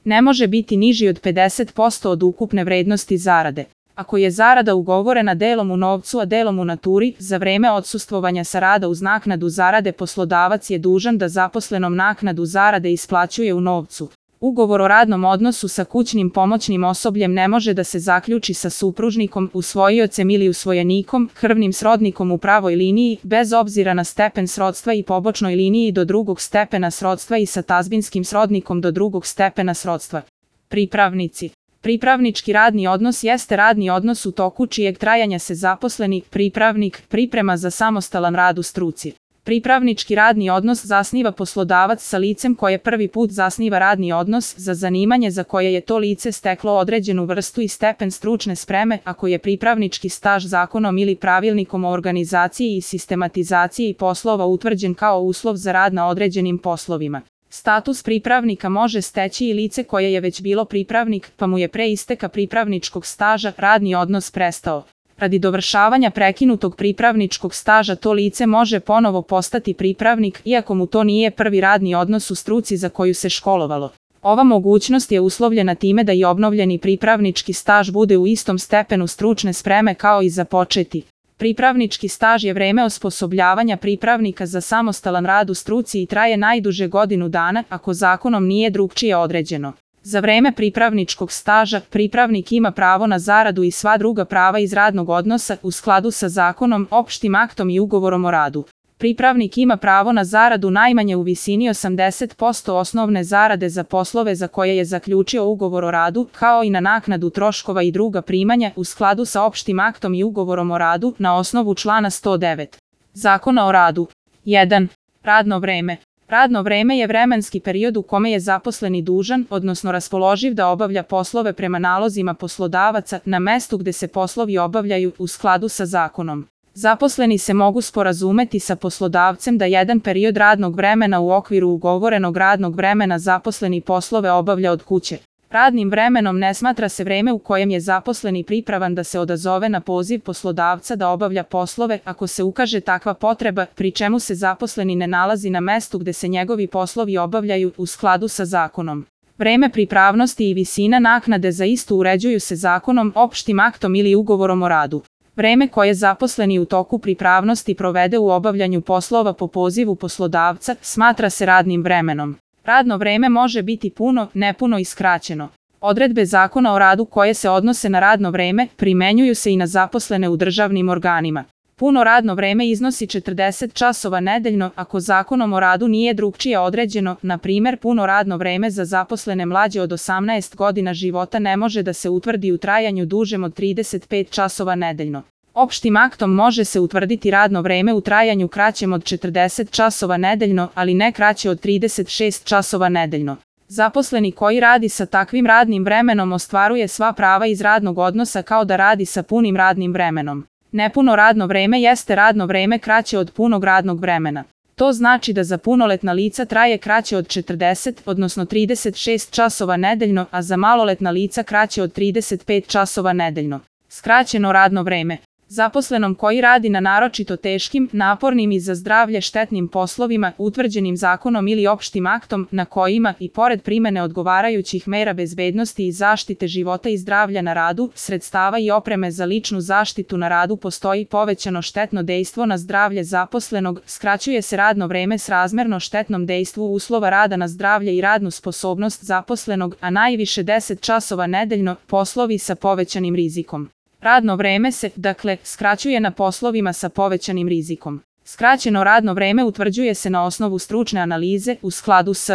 Ne može biti niži od 50% od ukupne vrednosti zarade. Ako je zarada ugovorena delom u novcu a delom u naturi, za vreme odsustvovanja sa rada uz naknadu zarade poslodavac je dužan da zaposlenom naknadu zarade isplaćuje u novcu. Ugovor o radnom odnosu sa kućnim pomoćnim osobljem ne može da se zaključi sa supružnikom, usvojiocem ili usvojenikom, krvnim srodnikom u pravoj liniji, bez obzira na stepen srodstva i pobočnoj liniji do drugog stepena srodstva i sa tazbinskim srodnikom do drugog stepena srodstva. Pripravnici. Pripravnički radni odnos jeste radni odnos u toku čijeg trajanja se zaposleni pripravnik priprema za samostalan rad u struci. Pripravnički radni odnos zasniva poslodavac sa licem koje prvi put zasniva radni odnos za zanimanje za koje je to lice steklo određenu vrstu i stepen stručne spreme, ako je pripravnički staž zakonom ili pravilnikom o organizaciji i sistematizaciji poslova utvrđen kao uslov za rad na određenim poslovima. Status pripravnika može steći i lice koje je već bilo pripravnik, pa mu je pre isteka pripravničkog staža radni odnos prestao. Radi dovršavanja prekinutog pripravničkog staža to lice može ponovo postati pripravnik, iako mu to nije prvi radni odnos u struci za koju se školovalo. Ova mogućnost je uslovljena time da i obnovljeni pripravnički staž bude u istom stepenu stručne spreme kao i započeti. Pripravnički staž je vreme osposobljavanja pripravnika za samostalan rad u struci i traje najduže godinu dana, ako zakonom nije drugčije određeno. Za vreme pripravničkog staža, pripravnik ima pravo na zaradu i sva druga prava iz radnog odnosa u skladu sa zakonom, opštim aktom i ugovorom o radu. Pripravnik ima pravo na zaradu najmanje u visini 80% osnovne zarade za poslove za koje je zaključio ugovor o radu, kao i na naknadu troškova i druga primanja u skladu sa opštim aktom i ugovorom o radu na osnovu člana 109. Zakona o radu. 1. Radno vreme. Radno vreme je vremenski period u kome je zaposleni dužan, odnosno raspoloživ da obavlja poslove prema nalozima poslodavaca na mestu gde se poslovi obavljaju u skladu sa zakonom. Zaposleni se mogu sporazumeti sa poslodavcem da jedan period radnog vremena u okviru ugovorenog radnog vremena zaposleni poslove obavlja od kuće. Radnim vremenom ne smatra se vreme u kojem je zaposleni pripravan da se odazove na poziv poslodavca da obavlja poslove ako se ukaže takva potreba, pri čemu se zaposleni ne nalazi na mestu gde se njegovi poslovi obavljaju u skladu sa zakonom. Vreme pripravnosti i visina naknade za istu uređuju se zakonom, opštim aktom ili ugovorom o radu. Vreme koje zaposleni u toku pripravnosti provede u obavljanju poslova po pozivu poslodavca smatra se radnim vremenom. Radno vreme može biti puno, nepuno i skraćeno. Odredbe Zakona o radu koje se odnose na radno vreme primenjuju se i na zaposlene u državnim organima. Puno radno vreme iznosi 40 časova nedeljno ako Zakonom o radu nije drugčije određeno, na primer puno radno vreme za zaposlene mlađe od 18 godina života ne može da se utvrdi u trajanju dužem od 35 časova nedeljno. Opštim aktom može se utvrditi radno vreme u trajanju kraćem od 40 časova nedeljno, ali ne kraće od 36 časova nedeljno. Zaposleni koji radi sa takvim radnim vremenom ostvaruje sva prava iz radnog odnosa kao da radi sa punim radnim vremenom. Nepuno radno vreme jeste radno vreme kraće od punog radnog vremena. To znači da za punoletna lica traje kraće od 40, odnosno 36 časova nedeljno, a za maloletna lica kraće od 35 časova nedeljno. Skraćeno radno vreme. Zaposlenom koji radi na naročito teškim, napornim i za zdravlje štetnim poslovima, utvrđenim zakonom ili opštim aktom, na kojima, i pored primene odgovarajućih mera bezbednosti i zaštite života i zdravlja na radu, sredstava i opreme za ličnu zaštitu na radu postoji povećano štetno dejstvo na zdravlje zaposlenog, skraćuje se radno vreme srazmerno štetnom dejstvu uslova rada na zdravlje i radnu sposobnost zaposlenog, a najviše 10 časova nedeljno, poslovi sa povećanim rizikom. Radno vreme se, dakle, skraćuje na poslovima sa povećanim rizikom. Skraćeno radno vreme utvrđuje se na osnovu stručne analize u skladu s